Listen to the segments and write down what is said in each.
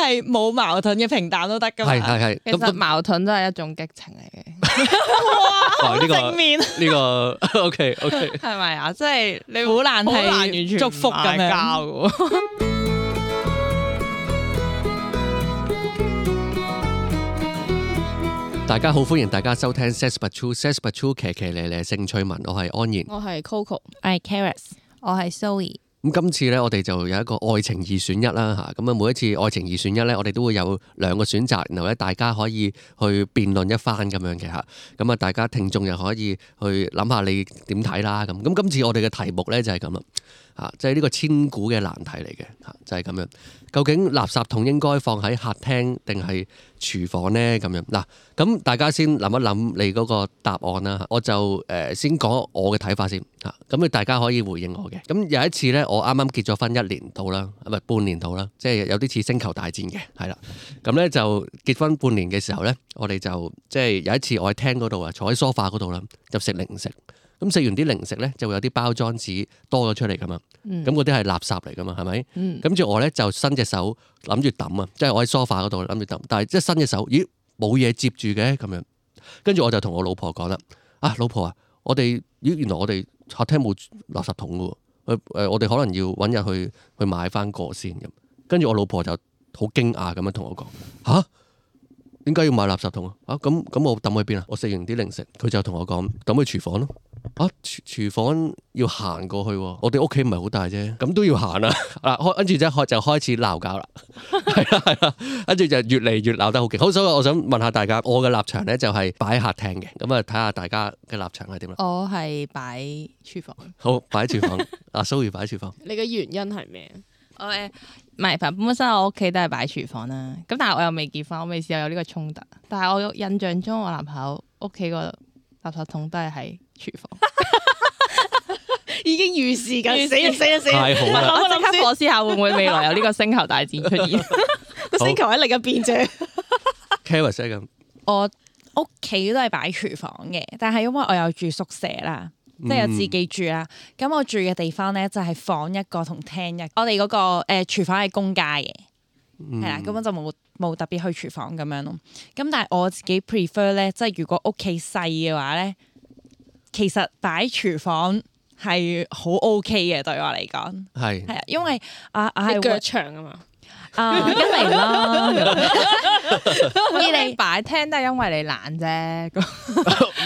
係冇矛盾嘅平淡都得㗎嘛。係。其實矛盾都係一種激情嚟嘅。哇！正面呢個 OK，係咪啊？即係你好難好難完係全祝福咁唔嗌交樣。嘅大家好，歡迎大家收聽 Sex But True 騎騎咧咧性趣聞，我係安然。我係 Coco，我係 Caris，我係 Zoe。咁今次咧，我哋就有一個愛情二選一啦嚇。咁啊，每一次愛情二選一咧，我哋都會有兩個選擇，然後咧大家可以去辯論一番咁樣嘅嚇。咁啊，大家聽眾又可以去諗下你點睇啦咁。咁今次我哋嘅題目咧就係咁啦嚇，即係呢個千古嘅難題嚟嘅嚇，就係咁樣。究竟垃圾桶應該放喺客廳定係廚房呢？咁樣嗱，咁大家先諗一諗你嗰個答案啦。我就先講我嘅睇法先嚇，咁大家可以回應我嘅。咁有一次咧，我啱啱結咗婚1年到啦，唔係半年到啦，即係有啲似星球大戰嘅，係啦。咁咧就結婚半年嘅時候咧，我哋就即係有一次我喺廳嗰度啊，坐喺梳化嗰度啦，就食零食。咁食完啲零食咧，就會有啲包裝紙多咗出嚟噶嘛。咁嗰啲係垃圾嚟噶嘛，係咪？跟住我咧就伸隻手諗住抌啊，即係我喺梳化嗰度諗住抌，但係即係伸隻手，咦冇嘢接住嘅咁樣。跟住我就同我老婆講啦，老婆啊，原來我哋客廳冇垃圾桶噶喎，我哋可能要揾日去買翻個先咁。跟住我老婆就好驚訝咁樣同我講，吓？點解要買垃圾桶啊？咁我抌去邊啊？我食完啲零食，佢就同我講抌去廚房咯。廚房要行過去喎，我哋屋企唔係好大啫，咁都要行啊！跟住就開始鬧交啦，係啦，跟住就越嚟越鬧得好勁。好，所以我想問下大家，我嘅立場咧就係擺喺客廳嘅，咁啊睇下大家嘅立場係點啦。我係擺廚房。好，擺喺廚房。阿 Zoe 擺喺廚房。你嘅原因係咩？我唔係，本身我屋企都係擺廚房啦。咁但係我又未結婚，我未試過有呢個衝突。但係我印象中，我男朋友屋企個垃圾桶都係喺廚房。已經預示緊，死！太好啦！我即刻火思下會唔會未來有呢個星球大戰出現？個星球喺另一邊啫。Caris 咁，我屋企都係擺廚房嘅，但係因為我有住宿舍啦，即係有自己住啦。咁我住嘅地方咧就係房一個同廳一個。我哋嗰個廚房係公家嘅，係啦，根本就冇特別去廚房咁樣咯。咁但係我自己 prefer 咧，即係如果屋企細嘅話咧，其實擺廚房係好 OK 嘅，對我嚟講係啊，因為係腳長啊嘛。一嚟啦，二嚟擺廳都係因為你懶啫。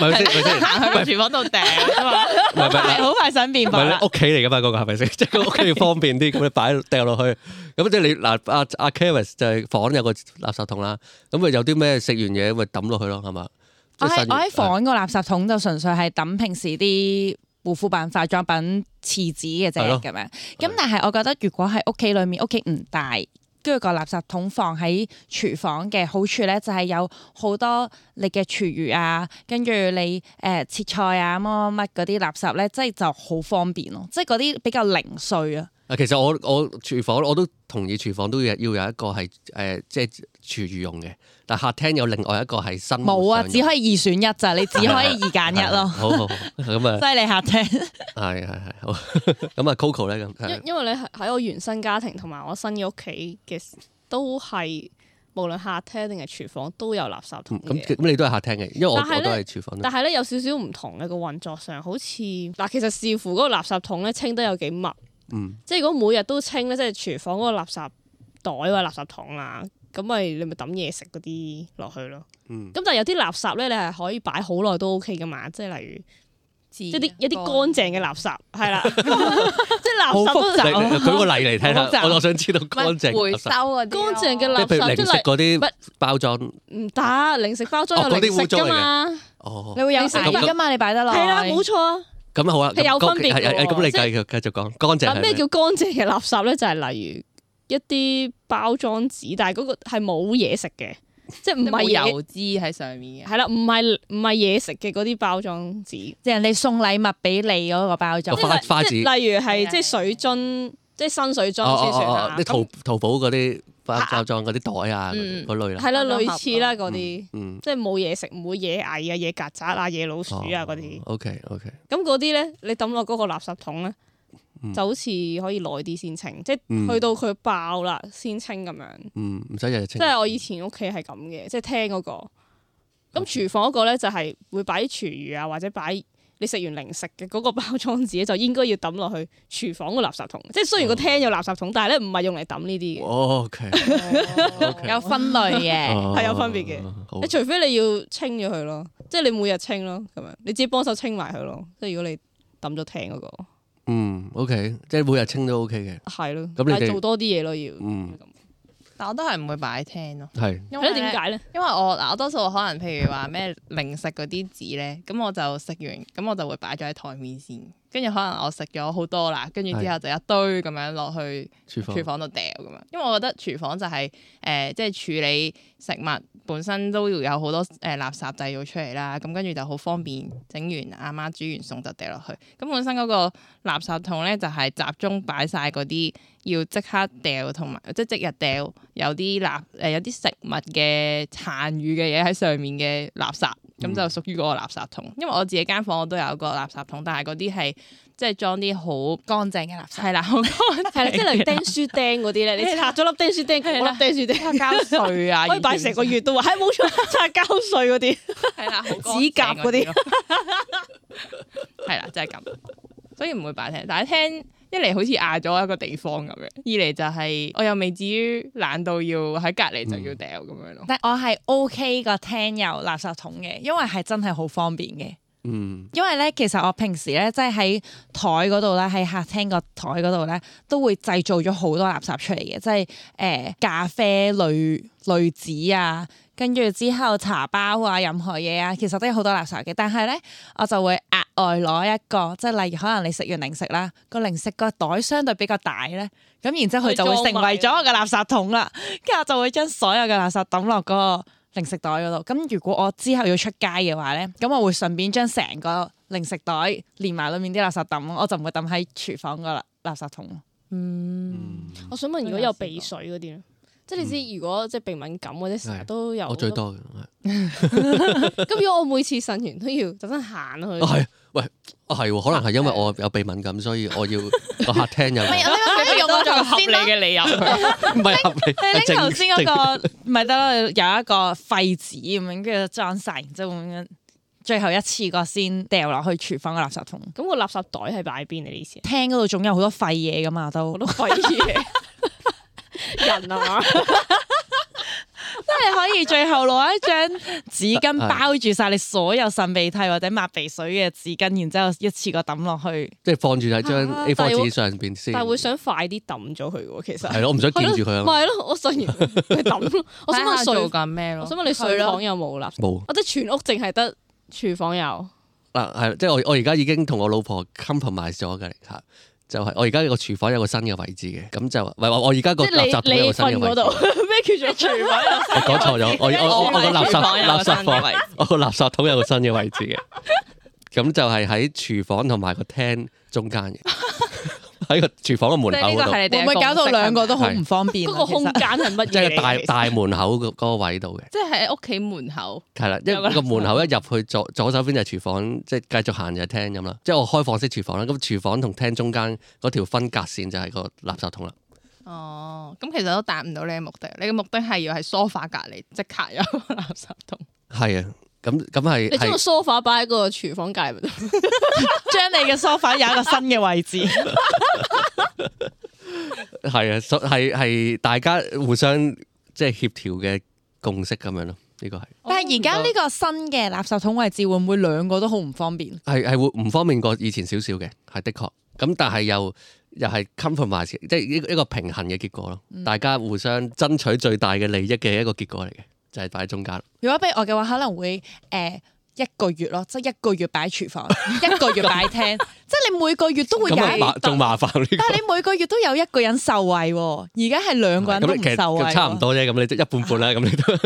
咪先，行去個廚房度掟啊嘛，係好快想變唔白啦。係你屋企嚟噶嘛？嗰個係咪先？即係個屋企要方便啲，咁你擺掉落去。咁即係你嗱，阿 Caris 就係房有個垃圾桶啦。咁咪有啲咩食完嘢咪抌落去咯，係嘛？我喺房個垃圾桶就純粹係抌平時啲護膚品、化妝品、廁紙嘅啫咁樣。咁但係我覺得如果喺屋企裏面，屋企唔大，跟住個垃圾桶放喺廚房嘅好處咧，就係有好多你嘅廚餘啊，跟住你切菜啊乜嗰啲垃圾咧，即係就好方便咯，即係嗰啲比較零碎啊。其實我廚房我都同意，廚房都要有一個係即係廚餘用嘅，但客廳有另外一個係新冇啊，只可以2選1咋，你只可以2揀1咯。好咁啊，犀利客廳。係好咁啊 Coco 咧咁，因為你喺我原生家庭同埋我新嘅屋企嘅都係無論客廳定係廚房都有垃圾桶嘅。咁你都係客廳嘅，因為我都係廚房。但係咧有少少唔同嘅個運作上，好似嗱，其實視乎嗰個垃圾桶咧清得有幾密。即係如果每日都清咧，即係廚房嗰個垃圾袋或者垃圾桶啊，咁你咪抌嘢食嗰啲落去咯。咁但係有啲垃圾咧，你係可以擺好耐都 OK 噶嘛，即係例如即係一啲乾淨嘅垃圾係啦，即係垃圾都舉個例嚟聽下，我想知道乾淨回收嗰啲乾淨嘅垃圾，譬如零食嗰啲包裝唔得，零食包裝有零食㗎嘛。你會有食㗎嘛？你擺得落係啦，冇錯啊。咁好啊，係有分別嘅。咁你繼續講乾淨。咩叫乾淨嘅垃圾咧？就係例如一啲包裝紙，但係嗰個係冇嘢食嘅，即係唔係油脂喺上面嘅。係啦，唔係嘢食嘅嗰啲包裝紙，即係人哋送禮物俾你嗰個包裝。花紙，例如係即係水樽，即係新水樽先算啦。啲淘寶嗰啲包裝嗰啲袋啊，嗰類啦。係啦，類似啦嗰啲，即係冇嘢食，唔會惹蟻啊、惹曱甴啊、惹老鼠啊嗰啲。OK。咁嗰啲咧，你抌落嗰個垃圾桶咧，就好似可以耐啲先清，即係去到佢爆啦先清咁樣。唔使日日清。即係我以前屋企係咁嘅，即係廳嗰個。咁廚房嗰個咧就係會擺啲廚餘啊，或者擺你食完零食嘅嗰個包裝紙就應該要抌落去廚房個垃圾桶。即係雖然個廳有垃圾桶，但係咧唔係用嚟抌呢啲嘅。OK，有分類嘅，係有分別嘅。你除非你要清咗佢咯，即係你每日清咯，咁樣你自己幫手清埋佢咯。即係如果你抌咗廳嗰個。OK， 即係每日清都 OK 嘅。係咯，咁你哋做多啲嘢咯要。但我都係唔會擺喺廳咯。係。因為點解咧？因為我多數可能譬如話咩零食嗰啲紙咧，咁我就食完，咁我就會擺咗喺台面先。跟住可能我食咗好多啦，跟住之後就一堆咁樣落去廚房度掉咁樣。因為我覺得廚房就係即係處理食物本身都要有好多垃圾製造出嚟啦。咁跟住就好方便整完阿媽煮完餸就掉落去。咁本身嗰個垃圾桶咧就係集中擺晒嗰啲要即刻掉同埋即日掉有啲有啲食物嘅殘餘嘅嘢喺上面嘅垃圾。咁就屬於嗰個垃圾桶，因為我自己間房我都有個垃圾桶，但係嗰啲係即係裝啲好乾淨嘅垃圾。係啦，好乾淨。係啦，即係例如釘書釘嗰啲咧，你拆咗粒釘書釘，嗰粒釘書釘膠碎啊，可以擺成個月都話，係冇錯，拆膠碎嗰啲，係啦，指甲嗰啲，係啦，就係咁，所以唔會擺廳。但係廳一嚟好似壓咗一個地方咁樣，二嚟就係我又未至於懶到要喺隔離就要掉咁樣咯。但我係 OK 個廳有垃圾桶嘅，因為係真係好方便嘅。因為咧，其實我平時咧，即係喺台嗰度咧，喺客廳個台嗰度咧，都會製造咗好多垃圾出嚟嘅，即係咖啡濾紙啊，跟住之後茶包啊，任何嘢啊，其實都有好多垃圾嘅。但係咧，我就會額外攞一個，即係例如可能你食完零食啦，個零食個袋相對比較大咧，咁然之後佢就會成為咗我嘅垃圾桶啦。跟住我就會將所有嘅垃圾抌落嗰個零食袋嗰度，咁如果我之後要出街嘅話咧，咁我會順便將成個零食袋連埋裏面啲垃圾抌，我就唔會抌喺廚房個垃圾桶。我想問，如果有鼻水嗰啲咧，即係你知，如果即係鼻敏感或者成日都有，我最多嘅。咁如果我每次擤完都要特登行去，係，喂，係，可能係因為我有鼻敏感，所以我要個客廳有。你用我頭先合理嘅理由，唔係合理。你拎頭先嗰個咪得咯，有一個廢紙咁樣，跟住裝晒，然之後咁樣，最後一次過先掉落去廚房嘅垃圾桶。咁個垃圾袋係擺喺邊？你意思？廳嗰度總有好多廢嘢噶嘛，都好多廢嘢，人啊嘛。即係可以最後攞一張紙巾包住晒你所有擤鼻涕或者抹鼻水嘅紙巾，然之後一次過抌落去，即係放住喺張 A4 紙上邊先。但係會想快啲抌咗佢喎，其實係咯，我唔想見住佢啊。咪係咯，我擤完佢抌咯。我想問做緊咩咯？我想問你睡房有冇垃圾？冇。或者全屋淨係得廚房有？嗱係，即係我而家已經同我老婆 compromise 咗嘅嚇。就係我而家個廚房有個新嘅位置嘅，咁就唔係話我而家個垃圾桶有個新嘅位置。咩叫做廚房？我講錯咗，我個垃圾房，我個垃圾桶有個新嘅位置嘅，咁就係喺廚房同埋個廳中間嘅，喺個廚房嘅門口嗰度。會唔會搞到兩個都好唔方便？嗰個空間係乜嘢？即係大門口嗰個位度嘅，即係喺屋企門口。係啦，一個門口一入去左手邊就係廚房，即係繼續行就係廳咁啦。即係我開放式廚房啦，咁廚房同廳中間嗰條分隔線就係個垃圾桶啦。哦，咁其實都達唔到你嘅目的。你嘅目的係要喺梳化隔離即刻有個垃圾桶。係啊，咁係。你將個梳化擺喺個廚房隔離咪得？將你嘅梳化有一個新嘅位置。係啊，係大家互相即係協調嘅共識咁樣咯。呢個係。但係而家呢個新嘅垃圾桶位置會唔會兩個都好唔方便？係會唔方便過以前少少嘅，係的確。咁但係又係 compromise，即係一個平衡嘅結果咯。大家互相爭取最大嘅利益嘅一個結果嚟嘅，就係擺喺中間。如果俾我嘅話，可能會一個月咯，即係一個月擺廚房，一個月擺廳，即係你每個月都會有仲麻煩呢個。但係你每個月都有一個人受惠喎，而家係兩個人都唔受惠。差唔多啫，咁你一半半啦，咁你都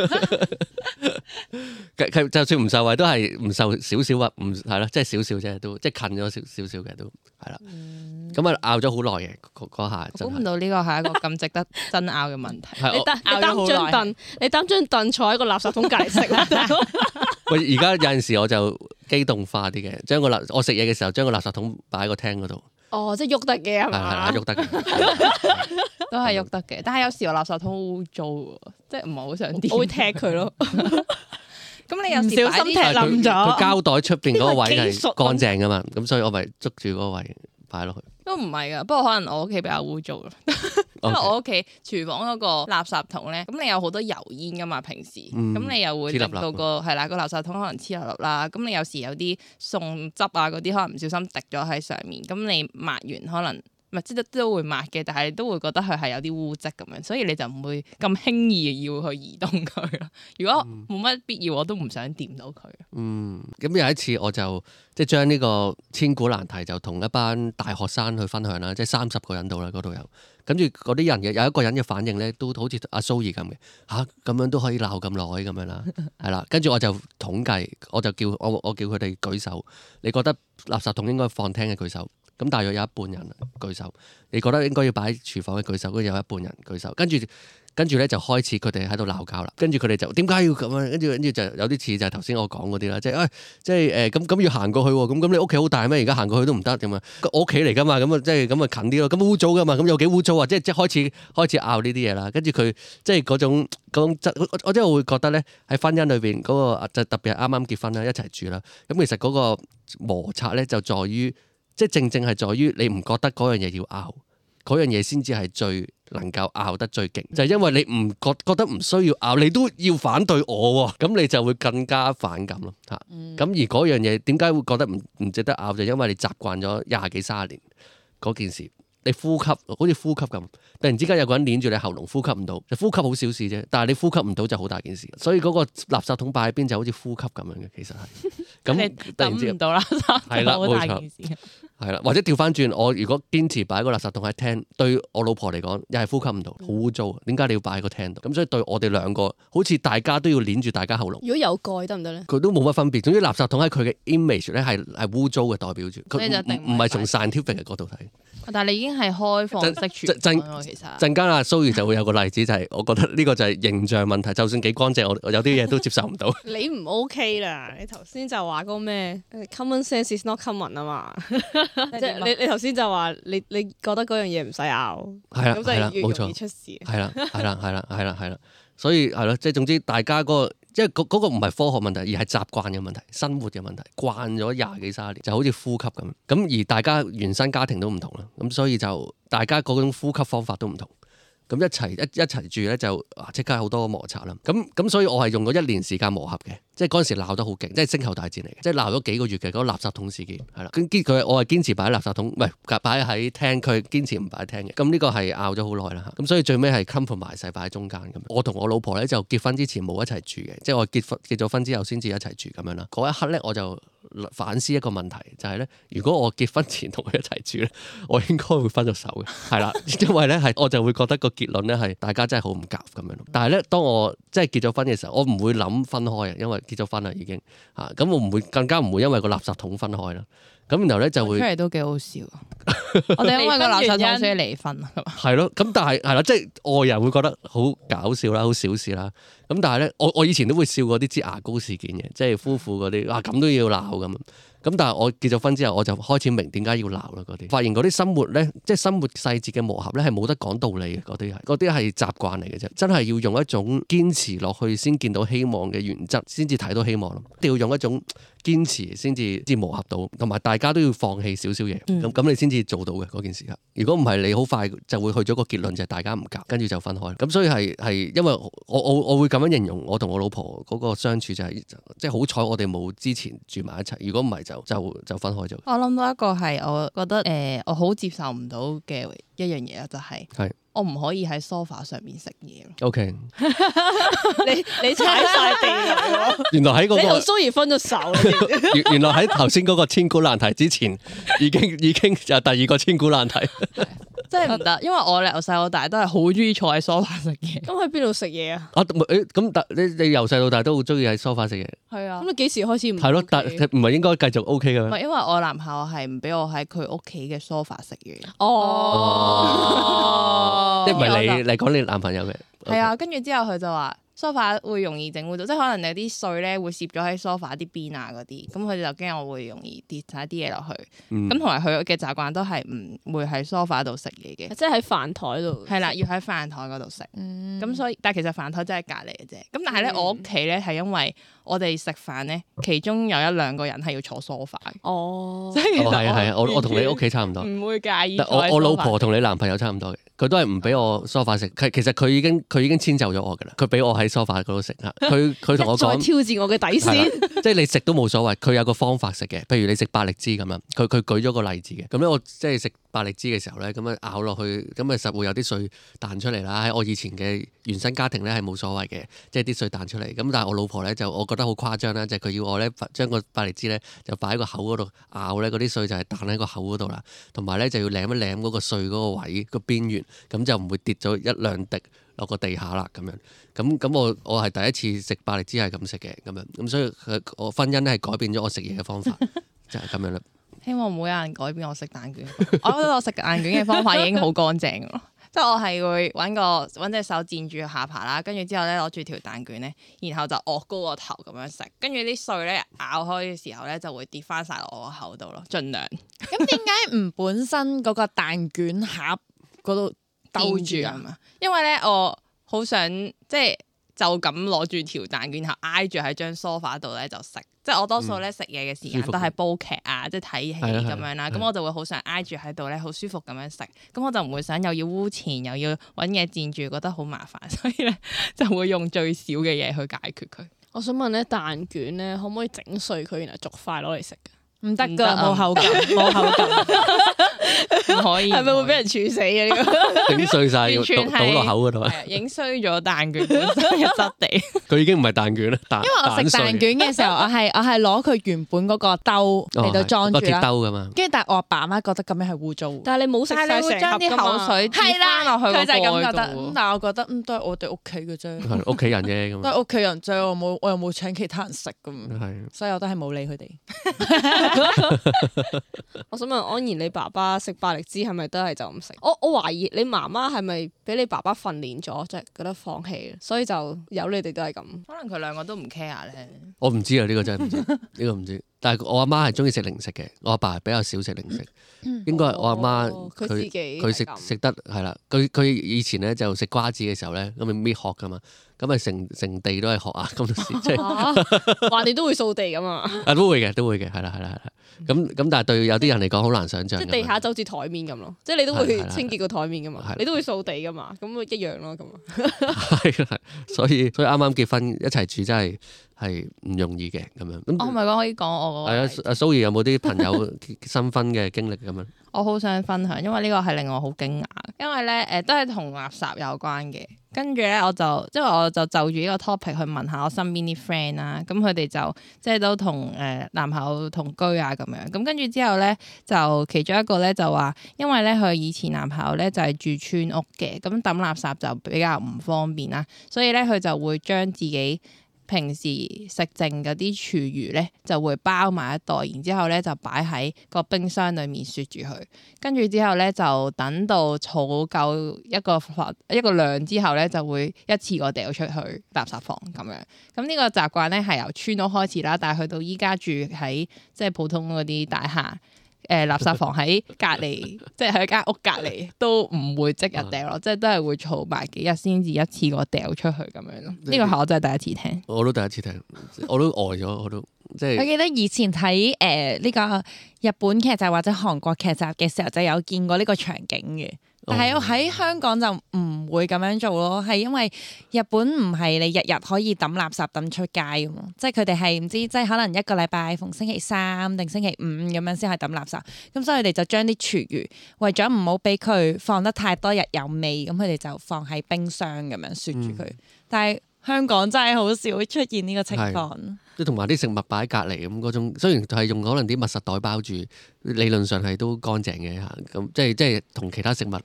就算唔受惠都係唔受少少啊，唔係咯，即係少少啫，都即係近咗少少嘅都係啦。咁啊拗咗好耐嘅嗰下，估唔到呢個係一個咁值得爭拗嘅問題。你擔張凳坐喺個垃圾桶隔離食。喂，而家有陣時我就機動化啲嘅，將我食嘢嘅時候將個垃圾桶擺喺個廳嗰度。哦，即係喐得嘅係嘛？係喐得嘅，都係喐得嘅。但係有時我垃圾桶污糟喎，即係唔係好想掂。我會踢佢咯。咁你有時唔小心踢冧咗。佢膠袋出邊嗰個位係呢個技術乾淨噶嘛，咁所以我咪捉住嗰個位擺落去。都唔係噶，不過可能我屋企比較污糟咯。因為我屋企廚房嗰個垃圾桶咧，咁你有好多油煙噶嘛，平時咁你又會令到個係啦個垃圾桶可能黐粒粒啦。咁你有時有啲餸汁啊嗰啲可能唔小心滴咗喺上面，咁你抹完可能唔係即係都會抹嘅，但係都會覺得佢係有啲污漬咁樣，所以你就唔會咁輕易要去移動佢咯。如果冇乜必要，我都唔想掂到佢。咁有一次我就即係將呢個千古難題就同一班大學生去分享啦，即係30個人度啦，嗰度有。跟住嗰啲人嘅有一個人嘅反應咧，都好似阿蘇怡咁嘅嚇，咁樣都可以鬧咁耐咁樣啦，係啦。跟住我就統計，我就叫我叫佢哋舉手，你覺得垃圾桶應該放廳嘅舉手，咁大約有一半人舉手。你覺得應該要擺喺廚房嘅舉手，跟住有一半人舉手。跟住咧就開始佢哋喺度鬧交啦。跟住佢哋就點解要咁樣？跟住就有啲似就係頭先我講嗰啲啦，即係咁要行過去喎。咁你屋企好大咩？而家行過去都唔得咁啊！我屋企嚟噶嘛，咁啊即係咁啊近啲咯。咁污糟噶嘛，咁有幾污糟啊？即係開始拗呢啲嘢啦。跟住佢即係嗰種我即係會覺得咧喺婚姻裏邊嗰個就特別係啱啱結婚啦，一齊住啦。咁其實嗰個摩擦咧就在於即係正係在於你唔覺得嗰樣嘢要拗，嗰樣嘢先至係最能夠拗得最勁，就係因為你唔覺得唔需要拗，你都要反對我喎，咁你就會更加反感咯嚇。咁而嗰樣嘢點解會覺得唔值得拗？就因為你習慣咗20幾30年嗰件事，你呼吸好似呼吸咁，突然之間有個人捏住你喉嚨呼吸唔到，就呼吸好小事啫，但係你呼吸唔到就好大件事。所以嗰個垃圾桶擺喺邊就好似呼吸咁樣嘅，其實係咁突然之間唔到垃圾桶係啦，好大件事。係啦，或者調翻轉，我如果堅持擺個垃圾桶喺廳，對我老婆嚟講又係呼吸唔到，好污糟。點解你要擺喺個廳度？咁所以對我哋兩個，好似大家都要捏住大家喉嚨。如果有蓋得唔得咧？佢都冇乜分別。總之垃圾桶喺佢嘅 image 咧係污糟嘅，代表住佢唔係從 scientific 嘅角度睇。但係你已經係開放式廚房咯，其實陣間阿蘇怡就會有個例子，就係我覺得呢個就係形象問題。就算幾乾淨，我有啲嘢都接受唔到。你唔 OK 啦！你頭先就話嗰個咩 common sense is not common 啊嘛，即係你頭先就話你覺得嗰樣嘢唔使拗，係啦，咁就越容易出事。係啦，所以係咯，即係總之大家嗰個。即係嗰個唔係科學問題，而係習慣嘅問題、生活嘅問題。慣咗20幾30年，就好似呼吸咁。咁而大家原生家庭都唔同啦，咁所以就大家嗰種呼吸方法都唔同。咁一齊住咧就即刻好多摩擦啦。咁所以我係用咗1年時間磨合嘅，即係嗰陣時鬧得好勁，即係星球大戰嚟嘅，即係鬧咗幾個月嘅嗰個垃圾桶事件係啦。我係堅持擺喺垃圾桶，唔係擺喺廳，佢堅持唔擺喺廳嘅。咁呢個係拗咗好耐啦。咁所以最尾係 compromise 擺喺中間咁。我同我老婆咧就結婚之前冇一齊住嘅，即係我結咗婚之後先至一齊住咁樣啦。嗰一刻咧我就反思一個問題，就係咧，如果我結婚前同佢一齊住咧，我應該會分咗手嘅，係啦，因為咧我就會覺得個結論咧係大家真係好唔夾咁樣。但係咧，當我即係結咗婚嘅時候，我唔會諗分開嘅，因為結咗婚啦已經嚇，咁我更加唔會因為個垃圾桶分開啦。咁然後咧就會出嚟都幾好笑。我哋因為個垃圾桶所以離婚啊，係咯。咁但係係啦，即係外人會覺得好搞笑啦，好小事啦。咁但係咧，我以前都會笑過啲擠牙膏事件嘅，即係夫婦嗰啲咁都要鬧咁。咁但係我結咗婚之後，我就開始明點解要鬧啦嗰啲。發現嗰啲生活咧，即係生活細節嘅磨合咧，係冇得講道理嘅。嗰啲係習慣嚟嘅啫。真係要用一種堅持落去先見到希望嘅原則，先至睇到希望咯。一定要用一種堅持先至磨合到，同埋大家都要放棄少少嘢。咁你先至做到嘅嗰件事。如果唔係，你好快就會去咗個結論，就係大家唔夾，跟住就分開。咁所以係因為我會咁樣形容我同我老婆嗰個相處就係即係好彩我哋冇之前住埋一齊。如果唔係就分開咗。我諗到一個係我覺得我好接受唔到嘅一樣嘢啦，就係我唔可以喺 sofa 上面食嘢咯。OK，你踩晒地雷原來喺嗰個你同蘇怡分咗手。原來喺頭先嗰個千古難題之前，已經就第二個千古難題。真係唔得，因為我由細到大都係好中意坐喺 sofa 食嘢。咁喺邊度食嘢啊？咁你由細到大都好中意喺 sofa 食嘢。係啊。咁你幾時開始唔？係咯，但唔係應該繼續 OK 嘅咩？唔係，因為我男朋友係唔俾我喺佢屋企嘅 sofa 食嘢。即係唔係你講你男朋友嘅？係啊，跟住之後佢就話梳化會容易整污糟，即係可能有啲碎咧會攝咗喺梳化啲邊啊嗰啲，咁佢哋就驚我會容易跌晒啲嘢落去。咁同埋佢嘅習慣都係唔會喺梳化度食嘢嘅，即係喺飯台度。係啦，要喺飯台嗰度食。咁所以，但係其實飯台真係隔離嘅啫。咁但係咧，我屋企咧係因為我哋食飯咧，其中有一兩個人係要坐梳化。哦，所以係啊，我同你屋企差唔多。唔會介意。我老婆同你男朋友差唔多嘅，佢都係唔俾我梳化食。其實佢已經遷就咗我㗎啦，佢俾我喺梳化嗰度食嚇。佢同我講，再挑戰我嘅底線。即係你食都冇所謂，佢有個方法食嘅。譬如你食百力滋咁樣，佢舉咗個例子嘅。咁咧我即係食百力滋嘅時候咧，咁樣咬落去，咁啊實會有啲碎彈出嚟啦。喺我以前嘅原生家庭咧係冇所謂嘅，即係啲碎彈出嚟。咁但係我老婆咧就我覺得好誇張啦，即係佢要我咧將個百力滋咧就擺喺個口嗰度咬咧，嗰啲碎就係彈喺個口嗰度啦。同埋咧就要舐一舐嗰個碎嗰個位個邊緣，咁就唔會跌咗一兩滴落個地下啦咁樣。咁我係第一次食百力滋係咁食嘅咁樣。咁所以我婚姻咧係改變咗我食嘢嘅方法，就係咁樣啦。希望唔會有人改變我食蛋卷。我覺得我食蛋卷嘅方法已經好乾淨咯，即係我係會揾隻手墊住下巴啦，跟住之後咧攞住條蛋卷咧，然後就昂高個頭咁樣食，跟住啲碎咧咬開嘅時候咧就會跌翻晒落我個口度咯，盡量。咁點解唔本身嗰個蛋卷盒嗰度兜住啊？嘛，因為咧我好想即係就咁攞住條蛋卷，然後挨住喺張梳化度咧就食。即係我多數咧食嘢嘅時間都係煲劇啊，即係睇戲咁樣啦。咁我就會好想挨住喺度咧，好舒服咁樣食。咁我就唔會想又要污錢又要揾嘢墊住，覺得好麻煩，所以咧就會用最少嘅嘢去解決佢。我想問咧，蛋卷咧可唔可以整碎佢，然後逐塊攞嚟食㗎？唔得噶，冇口感，冇口感，唔可以。係咪會俾人處死啊？呢個整碎晒，倒落口嗰度，影衰咗蛋卷本身嘅質地。佢已經唔係蛋卷啦，因為我食蛋卷嘅時候，我係攞佢原本嗰個兜嚟到裝住啦，兜噶嘛。跟住但係我阿爸媽覺得咁樣係污糟，但係你冇食晒成盒將啲口水係啦落去，佢就係咁覺得。但係我覺得都係我哋屋企嘅啫，屋企人啫咁。都係屋企人啫，我又冇請其他人食咁，所以我都係冇理佢哋。我想問安然，你爸爸食百力滋係咪都係就咁食？我懷疑你媽媽係咪俾你爸爸訓練咗，即係覺得放棄，所以就由你哋都係咁。可能佢兩個都唔 care 咧。我唔知啊，呢個真係唔知，呢個唔知。但係我阿媽係中意食零食嘅，我阿爸係比較少食零食。應該係我阿媽佢食得係啦。佢以前咧就食瓜子嘅時候咧，咁咪搣殼噶嘛，咁咪成地都係殼啊！咁即係話你都會掃地噶嘛？啊都會嘅，係啦。咁但係對有啲人嚟講好難想像。即係地下就好似台面咁咯，即係你都會清潔個台面噶嘛，你都會掃地噶嘛，咁一樣咯咁。係，所以啱啱結婚一齊住真係唔容易嘅咁樣。我唔係講可以講我係啊，阿蘇怡有冇啲朋友新婚嘅經歷咁樣？我好想分享，因為呢個係令我好驚訝，因為咧都係同垃圾有關嘅。跟住咧我就就住呢個 topic 去問下我身邊啲 friend 啦，咁佢哋就即係都同男朋友同居啊咁樣。咁跟住之後咧就其中一個咧就話，因為咧佢以前男朋友咧就係住村屋嘅，咁抌垃圾就比較唔方便啦，所以咧佢就會將自己平時食剩嗰啲廚餘咧就會包埋一袋，然之後咧就擺喺個冰箱裏面雪住佢，跟住之後咧就等到儲夠一個量之後咧就會一次過掉出去垃圾房咁樣。咁呢個習慣咧係由村屋開始啦，但係去到依家住喺即係普通嗰啲大廈。垃圾房喺隔離，即係喺間屋隔離都唔會即日掉咯，即係都係會儲埋幾日先至一次過掉出去咁樣咯。呢個係我真係第一次聽，我都第一次聽，我都呆咗，我都即係。我記得以前睇呢個日本劇集或者韓國劇集嘅時候，就有見過呢個場景嘅。但係我喺香港就唔會咁樣做咯，係因為日本唔係你日日可以抌垃圾抌出街㗎嘛，即係佢哋係唔知即係可能一個禮拜逢星期三定星期五咁樣先係抌垃圾，咁所以佢哋就將啲廚餘為咗唔好俾佢放得太多日有味，咁佢哋就放喺冰箱咁樣雪住佢。但係香港真係好少出現呢個情況。即係同埋啲食物擺喺隔離咁嗰種，雖然係用可能啲密實袋包住，理論上係都乾淨嘅嚇。咁即係同其他食物咁，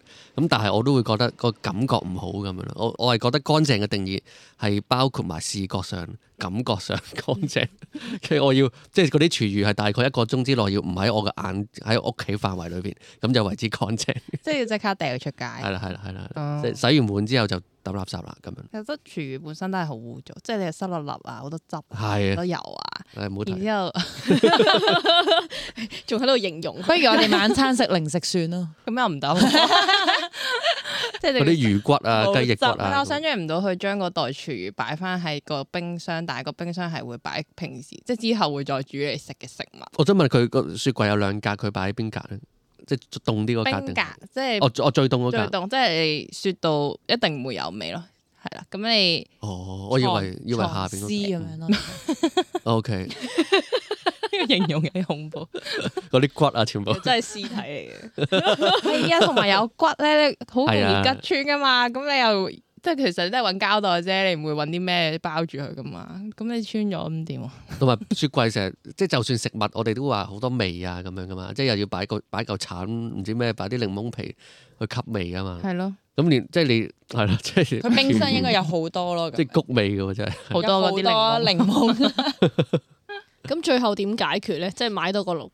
但係我都會覺得個感覺唔好咁樣咯。我係覺得乾淨嘅定義係包括埋視覺上、感覺上乾淨。其實我要即係嗰啲廚餘係大概1個鐘之內要唔喺我嘅眼喺屋企範圍裏邊，咁就為之乾淨。即係要即刻掉出街。係啦，即係洗完碗之後就抌垃圾啦咁樣。其實廚餘本身都係好污糟，即係你係濕立立啊，好多汁，好多油啊。唔好睇。然之後仲喺度形容，不如我哋晚餐食零食算咯。咁又唔得，即係嗰啲魚骨啊、雞翼骨啊。我想象唔到佢將嗰袋廚餘擺翻喺個冰箱，但係個冰箱係會擺平時即係之後會再煮嚟食嘅食物。我想問佢個雪櫃有2格，佢擺喺邊格咧？即係凍啲嗰格定？冰格即係我最凍嗰格。最凍即係你雪到一定唔會有味咯。係啦，咁你我以為下邊嗰咁樣咯。OK，呢個形容幾恐怖。嗰啲骨啊，全部真係屍體嚟嘅。係啊，同埋有骨咧，好容易吉穿噶嘛。咁你又即係其實你都係揾膠袋啫，你唔會揾啲咩包住佢噶嘛。咁你穿咗咁點啊？同埋雪櫃成日即係就算食物，我哋都話好多味啊咁樣噶嘛。即係又要擺嚿橙，唔知咩，擺啲檸檬皮去吸味噶嘛。係咯。咁連即係你係啦，即係佢冰箱應該有好多咯，即係谷味嘅喎，真係好多嗰啲檸檬。咁最後點解決咧？即係買到個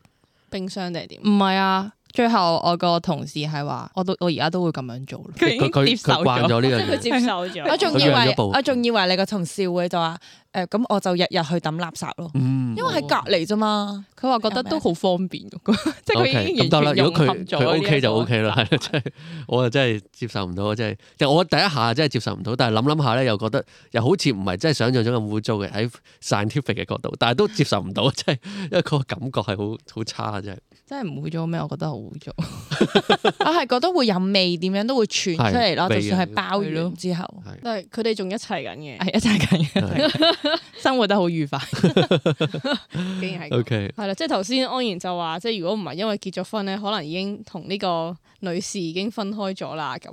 冰箱定係點？唔係啊，最後我個同事係話，我而家都會咁樣做。佢已經接受慣咗呢樣嘢，佢接受咗。我仲以為你個同事會就話咁我就日日去抌垃圾咯，因為喺隔離啫嘛。佢話覺得都好方便，即係佢已經完全融合咗。佢 OK 就 OK 啦，係即係我又真係接受唔到，即係我第一下真係接受唔到，但係諗下咧又覺得又好似唔係真係想像中咁污糟嘅喺 scientific 嘅角度，但係都接受唔到，即係因為個感覺係好差真係。真係唔污糟咩？我覺得好污糟。我係覺得會有味，點樣都會傳出嚟咯。就算係包完之後，但係佢哋仲一齊緊嘅，係一齊緊嘅，生活得好愉快。竟然係 OK，係啦，即係頭先安然就話，即係如果唔係因為結咗婚咧，可能已經同呢個女士已經分開咗啦咁。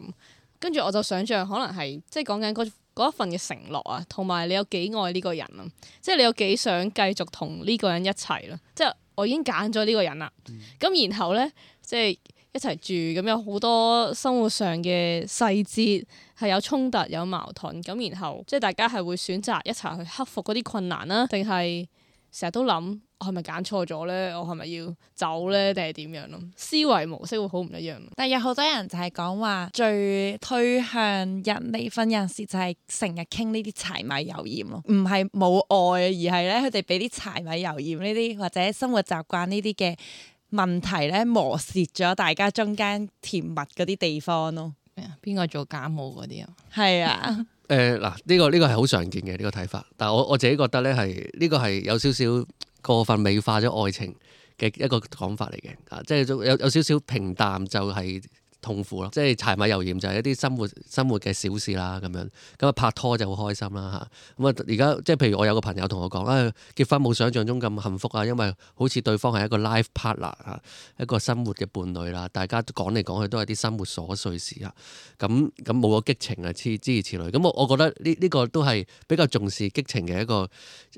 跟住我就想像可能係即係講緊嗰一份嘅承諾啊，同埋你有幾愛呢個人啊，即係你有幾想繼續同呢個人一齊咯。即係我已經揀咗呢個人啦，咁然後咧即係一齊住，咁有好多生活上嘅細節係有衝突有矛盾，咁然後即係大家係會選擇一齊去克服嗰啲困難啦，定係成日都諗我係咪揀錯咗咧？我係咪要走咧？定係點樣咯？思維模式會好唔一樣。但係有好多人就係講話最推向人離婚有陣時就係成日傾呢啲柴米油鹽咯，唔係冇愛，而係咧佢哋俾啲柴米油鹽呢啲或者生活習慣呢啲嘅問題咧磨蝕咗大家中間甜蜜嗰啲地方咯。邊個做家務嗰啲啊？係啊。嗱，呢個係好常見嘅呢個睇法，但係我自己覺得咧係呢個係有少少過分美化咗愛情嘅一個講法嚟嘅，即係有少少平淡就係痛苦咯，即係柴米油鹽就係一啲生活嘅小事啦咁樣，咁啊拍拖就好開心啦嚇，咁啊而家即係譬如我有個朋友同我講，結婚冇想象中咁幸福啊，因為好似對方係一個 life partner 啊，一個生活嘅伴侶啦，大家講嚟講去都係啲生活瑣碎事啊，咁冇個激情啊，諸如此類，咁我覺得呢個都係比較重視激情嘅一個，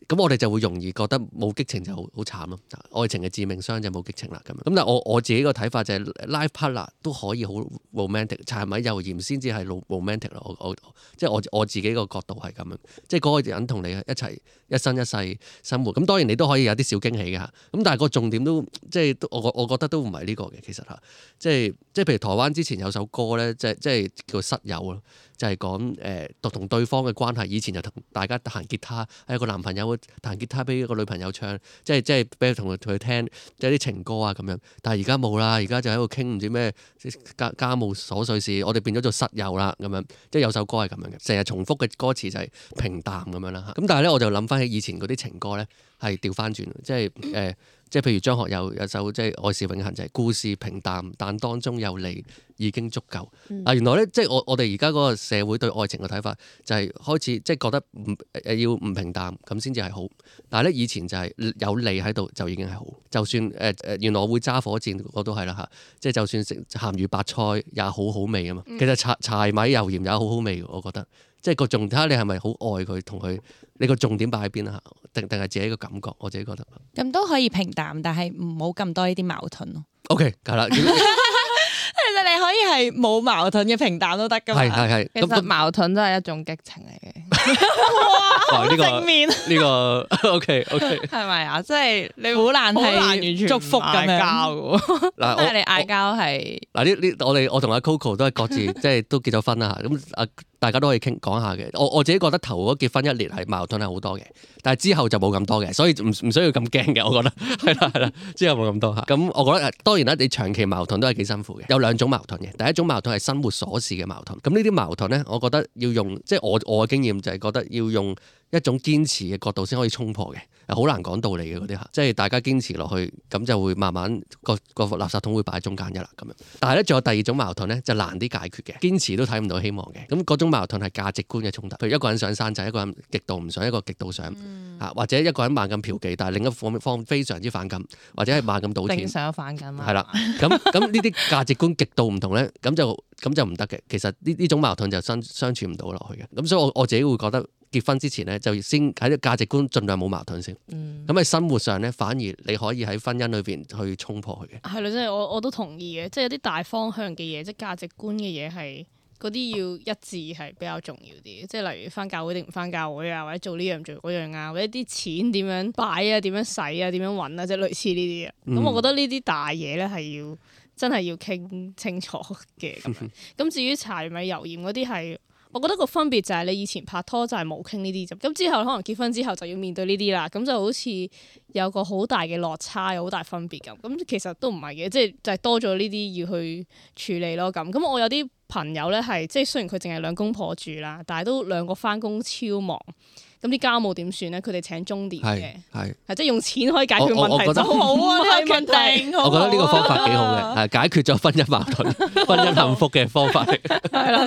咁我哋就會容易覺得冇激情就好慘咯，愛情嘅致命傷就冇激情啦咁樣，咁但係我自己個睇法就係 life partner 都可以好 romantic， 柴米油鹽先至係 romantic 咯。即係我自己個角度係咁樣，即係嗰個人同你一齊一生一世生活。咁當然你都可以有啲小驚喜嘅，咁但係個重點都即係我覺得都唔係呢個嘅，其實嚇，即係譬如台灣之前有首歌咧，即係叫室友咯。就係講同對方嘅關係，以前就同大家彈吉他，有個男朋友會彈吉他俾一個女朋友唱，即係俾佢同佢聽，即係啲情歌啊咁樣。但係而家冇啦，而家就喺度傾唔知咩家務瑣碎事，我哋變咗做室友啦咁樣，即係有首歌係咁樣嘅，成日重複嘅歌詞就係平淡咁樣啦。咁但係咧，我就諗翻起以前嗰啲情歌咧，係調翻轉，即係譬如張學友有首即係愛是永恆，就係故事平淡，但當中有你已經足夠。原來咧，即係我哋而家嗰個社會對愛情嘅睇法就係開始即係覺得要唔平淡咁先至係好。但係咧，以前就係有你喺度就已經係好。就算原來我會揸火箭，我都係啦嚇。即係就算食鹹魚白菜也好好味啊嘛。其實柴米油鹽也好好味，我覺得。即係個重點睇下你係咪好愛佢，同佢你個重點擺喺邊啊？定係自己個感覺？我自己覺得咁都可以平淡，但係唔好咁多呢啲矛盾咯。OK， 係啦。其實你可以係冇矛盾嘅平淡都得噶嘛。係。其實矛盾都係一種激情嚟嘅。哇！正面呢個 OK，係咪啊？即係你好難係完全祝福咁樣交嘅。嗱，即係你嗌交係嗱呢我同阿 Coco 都係各自即係都結咗婚啦嚇，咁大家都可以講下嘅。我自己覺得頭嗰結婚1年係矛盾係好多嘅，但係之後就冇咁多嘅，所以唔需要咁驚嘅。我覺得係啦，之後冇咁多嚇。咁我覺得當然啦，你長期矛盾都係幾辛苦嘅。有2種矛盾嘅，第一種矛盾係生活瑣事嘅矛盾。咁呢啲矛盾咧，我覺得要用即係我嘅經驗就係覺得要用一種堅持嘅角度先可以衝破嘅，好難講道理嘅嗰啲嚇，即係大家堅持落去，咁就會慢慢個垃圾桶會擺喺中間啦咁樣。但係咧，仲有第2種矛盾咧，就難啲解決嘅，堅持都睇唔到希望嘅。咁嗰種矛盾係價值觀嘅衝突，譬如一個人想生仔，一個人極度唔想，一個極度想嚇，或者一個人猛咁嫖妓，但係另一方非常之反感，或者係猛咁賭錢，正常反感啊。係啦，咁呢啲價值觀極度唔同咧，咁就唔得嘅。其實呢種矛盾就相處唔到落去嘅。咁所以我自己會覺得。結婚之前咧，就先喺啲價值觀盡量冇矛盾先。咁喺生活上咧，反而你可以喺婚姻裏邊去衝破佢嘅。係咯，即係我都同意嘅，即係有啲大方向嘅嘢，即係價值觀嘅嘢係嗰啲要一致係比較重要啲。即係例如返教會定唔返教會啊，或者做呢樣做嗰樣啊，或者啲錢點樣擺啊，點樣使啊，點樣揾啊，即係類似呢啲啊。咁我覺得呢啲大嘢咧係真係要傾清楚嘅咁樣。咁至於柴米油鹽嗰啲係。我覺得個分別就係你以前拍拖就係冇傾呢啲啫，咁之後可能結婚之後就要面對呢啲啦，咁就好似有個好大嘅落差，有好大分別咁。咁其實都唔係嘅，即係就係多咗呢啲要去處理咯咁。咁我有啲朋友咧係即係雖然佢淨係兩公婆住啦，但係都兩個返工超忙。咁啲家務點算咧？佢哋請鐘點嘅，係即係用錢可以解決問題就好啊！呢個問題，我覺得呢個方法幾好嘅，係解決咗婚姻矛盾、婚姻幸福嘅方法嚟。係啦，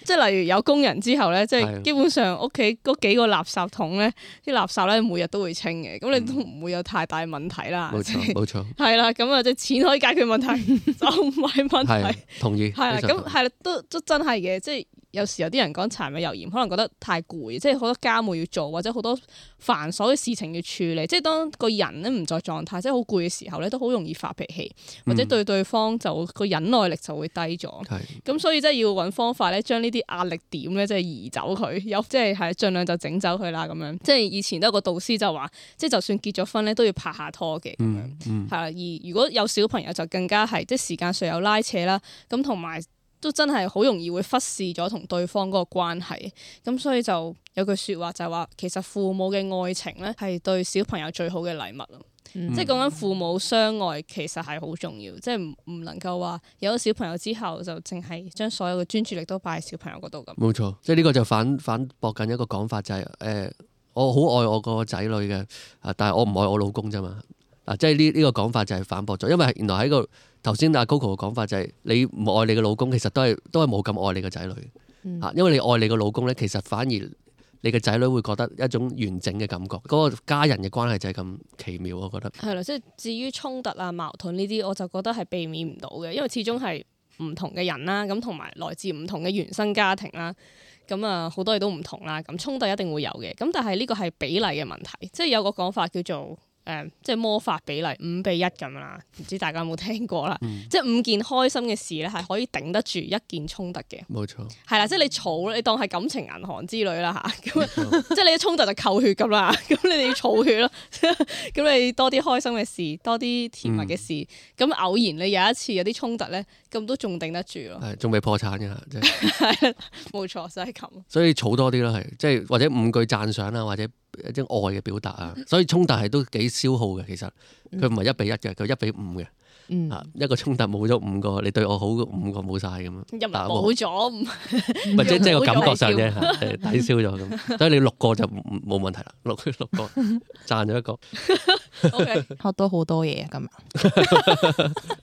即係例如有工人之後咧，即係基本上屋企嗰幾個垃圾桶咧，啲垃圾咧每日都會清嘅，咁你都唔會有太大問題啦。冇錯，冇錯。係啦，咁啊，即係錢可以解決問題，就唔係問題。同意。係啦，咁係啦，都真係嘅，即係。有時有啲人講柴米油鹽，可能覺得太攰，即係好多家務要做，或者好多繁瑣嘅事情要處理。即係當個人咧唔在狀態，即係好攰嘅時候咧，都好容易發脾氣，或者對方就個忍耐力就會低咗。咁所以即係要揾方法咧，將呢啲壓力點咧，即係移走佢，即係盡量就整走佢啦咁樣。即係以前都有個導師就話，即係就算結咗婚咧，都要拍下拖嘅咁樣。係啦，而如果有小朋友就更加係，即係時間上有拉扯啦，咁同埋。都真係好容易會忽視咗同對方嗰個關係，咁所以就有句説話就係話，其實父母嘅愛情咧係對小朋友最好嘅禮物咯。即係講緊父母相愛其實係好重要，即係唔能夠話有咗小朋友之後就淨係將所有嘅專注力都擺喺小朋友嗰度咁。冇錯，即係呢個就反駁緊一個講法，就係我好愛我個仔女嘅，但係我唔愛我老公啫嘛。即係呢個講法就係反駁咗，因為原來喺個頭先阿 Coco 嘅講法就係你唔愛你嘅老公，其實都係冇咁愛你嘅仔女。因為你愛你嘅老公咧，其實反而你嘅仔女會覺得一種完整嘅感覺，嗰個家人嘅關係就係咁奇妙，我覺得。係啦，即係至於衝突啊、矛盾呢啲，我就覺得係避免唔到嘅，因為始終係唔同嘅人啦，咁同埋來自唔同嘅原生家庭啦，咁啊好多嘢都唔同啦，咁衝突一定會有嘅。咁但係呢個係比例嘅問題，即係有個講法叫做。即係魔法比例5:1咁啦，唔知大家有冇聽過啦？即係5件開心嘅事咧，係可以頂得住1件衝突嘅。冇錯。係啦，即係你儲，你當係感情銀行之類啦嚇。咁即係你一衝突就扣血咁啦，咁你哋要儲血咯。咁你多啲開心嘅事，多啲甜蜜嘅事，咁偶然你有一次有啲衝突咧，咁都仲頂得住咯。係，仲未破產嘅，即係。係，冇錯，就係咁。所以儲多啲咯，係，即係或者5句讚賞啊，或者。一啲愛嘅表達啊，所以衝突係都幾消耗嘅。其實佢唔係1:1嘅，佢1:5嘅。一個衝突冇咗5個，你對我好5個冇晒咁樣。又冇咗，咪即係個感覺上啫，抵消咗咁。所以你6個就冇問題啦，6個賺咗1個。OK，學到好多嘢今日。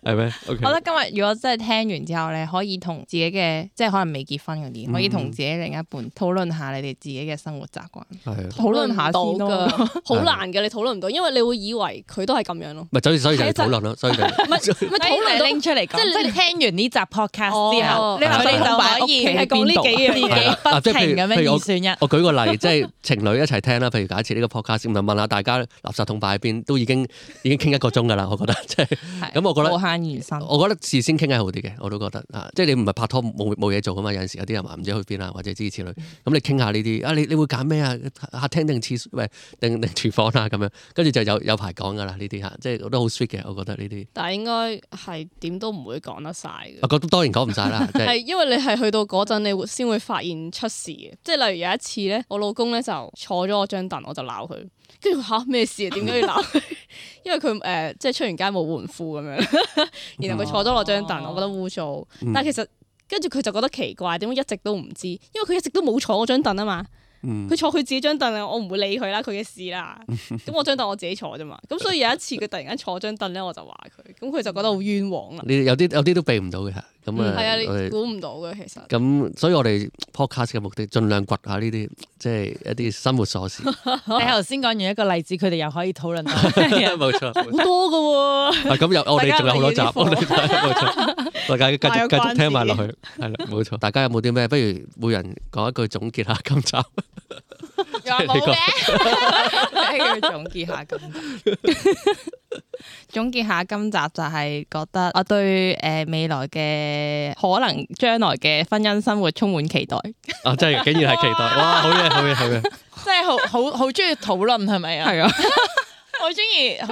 係咩？我覺得今日如果真係聽完之後咧，可以同自己嘅即係可能未結婚嗰啲，可以同自己另一半討論下你哋自己嘅生活習慣。討論下先咯，好難嘅，你討論唔到，因為你會以為佢都係咁樣咯。咪所以就係討論咯，所以就討論拎出嚟講，即係你聽完呢集 podcast 之後，你哋就可以係講呢幾樣嘢，不停咁樣二選一。我舉個例，即係情侶一齊聽啦。譬如假設呢個 podcast，咁就問下大家垃圾桶擺喺邊，都已經傾1個鐘㗎啦。我覺得即係咁，我覺得無限延伸。我覺得事先傾係好啲嘅，我都覺得即係你唔係拍拖冇嘢做㗎嘛。有陣時有啲人話唔知去邊啊，或者諸如此類。咁你傾下呢啲你會揀咩啊？客廳定定廚房啊咁樣，跟住就有排講㗎啦。呢啲即係我都好 sweet 嘅，我覺得呢啲。但係應該係點都唔會講得晒嘅。我覺得當然講唔晒啦，係因為你係去到嗰陣，你先會發現出事嘅。即係例如有一次咧，我老公咧就坐咗我張凳，我就鬧佢，跟住嚇咩事啊？點解要鬧佢？因為佢即係出完街冇換褲咁樣，然後佢坐咗我張凳，我覺得污糟。但係其實跟住佢就覺得奇怪，點解一直都唔知？因為佢一直都冇坐我張凳啊嘛。佢坐佢自己張凳啊，我唔會理佢啦，佢嘅事啦。咁我張凳我自己坐啫嘛。咁所以有一次佢突然間坐張凳咧，我就話佢，咁佢就覺得好冤枉啦。有啲都避唔到嘅，咁係啊，你估唔到嘅其實。咁所以我哋 podcast 嘅目的，盡量掘下呢啲即係一啲生活瑣事。你頭先講完一個例子，佢哋又可以討論到。冇錯，好多㗎喎。咁我哋仲有好多集，冇錯，大家繼續聽埋落去，係啦，冇錯。大家有冇啲咩？不如每人講一句總結下今集。有冇嘅？總結下今集。總結下今集就係覺得我對未來嘅可能將來嘅婚姻生活充滿期待。真係竟然係期待，哇！好嘢！即係好中意討論係咪啊？係啊，好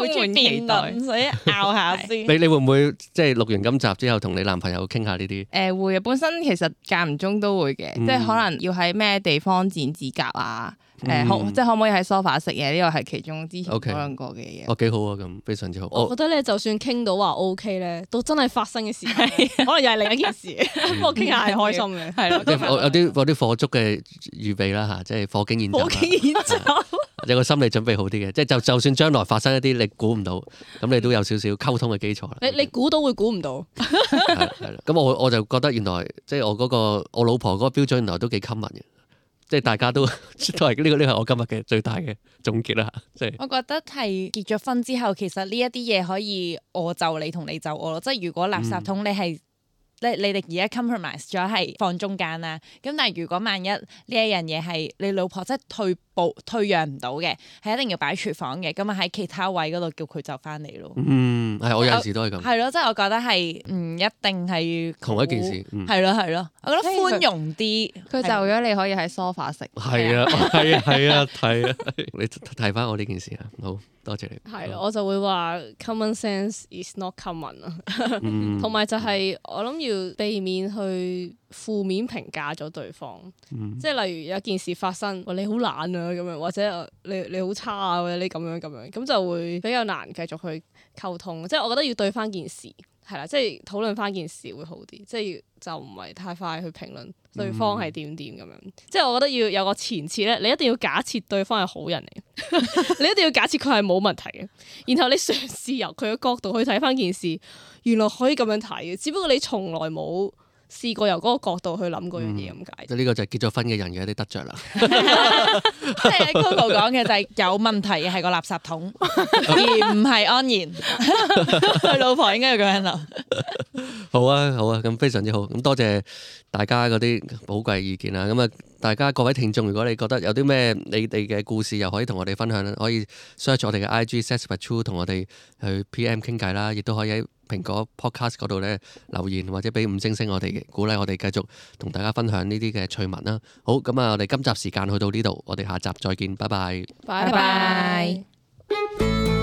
中意辯論，所以拗下先。你會唔會即係錄完今集之後同你男朋友傾下呢啲？會啊，本身其實間唔中都會嘅，即係可能要喺咩地方剪指甲啊。即係可唔可以喺 sofa 食嘢？呢個係其中之前討論過嘅嘢。幾好啊！咁非常之好。我覺得咧，就算傾到話 OK 咧，到真係發生嘅時候，可能又係另一件事。不過傾下係開心嘅，係咯。有啲火燭嘅預備啦嚇，即係火警演習。火警演習有個心理準備好啲嘅，即係就算將來發生一啲你估唔到，咁你都有少少溝通嘅基礎啦。你估到會估唔到。係啦。咁我就覺得原來即係我老婆嗰個標準原來都幾 common 嘅。即係大家都係呢個係我今日嘅最大嘅總結啦，即係我覺得係結咗婚之後，其實呢一啲嘢可以我就你同你就我咯。即係如果垃圾桶你係你哋而家 compromise 咗係放中間啦，咁但係如果萬一呢一樣嘢係你老婆即係退讓唔到嘅，係一定要擺廚房嘅，咁啊喺其他位嗰度叫佢就翻嚟咯。係我有陣時都係咁。係咯，即係我覺得係唔一定係同一件事。係咯，我覺得寬容啲。佢就咗你可以喺 sofa 食。係啊，你提翻我呢件事啊，好多謝你。係咯，我就會話 common sense is not common 啊，同埋就係我諗要避免去負面評價咗對方，即係例如有件事發生，你好懶啊咁樣，或者你好差啊，或者你咁樣，咁就會比較難繼續去溝通。即係我覺得要對翻件事係啦，即係討論翻件事會好啲，即係就唔係太快去評論對方係點咁樣。即係我覺得要有個前設咧，你一定要假設對方係好人嚟，你一定要假設佢係冇問題嘅，然後你嘗試由佢嘅角度去睇翻件事，原來可以咁樣睇嘅，只不過你從來冇試過由嗰個角度去諗嗰樣嘢咁解。呢個就係結咗婚嘅人嘅一啲得着啦。即係 Coco 講嘅就係有問題嘅係個垃圾桶，而唔係安然。佢老婆應該要咁樣諗。好啊，咁非常之好。咁多謝大家嗰啲寶貴意見啦。咁啊，大家各位聽眾，如果你覺得有啲咩你哋嘅故事，又可以同我哋分享，可以 search 我哋嘅 IG @sassbuttrue 同我哋去 PM 傾偈啦，亦都可以喺蘋果 Podcast 嗰度咧留言或者俾5星我哋嘅鼓勵，我哋繼續同大家分享呢啲嘅趣聞啦。好，咁啊，我哋今集時間去到呢度，我哋下集再見，拜拜。拜拜。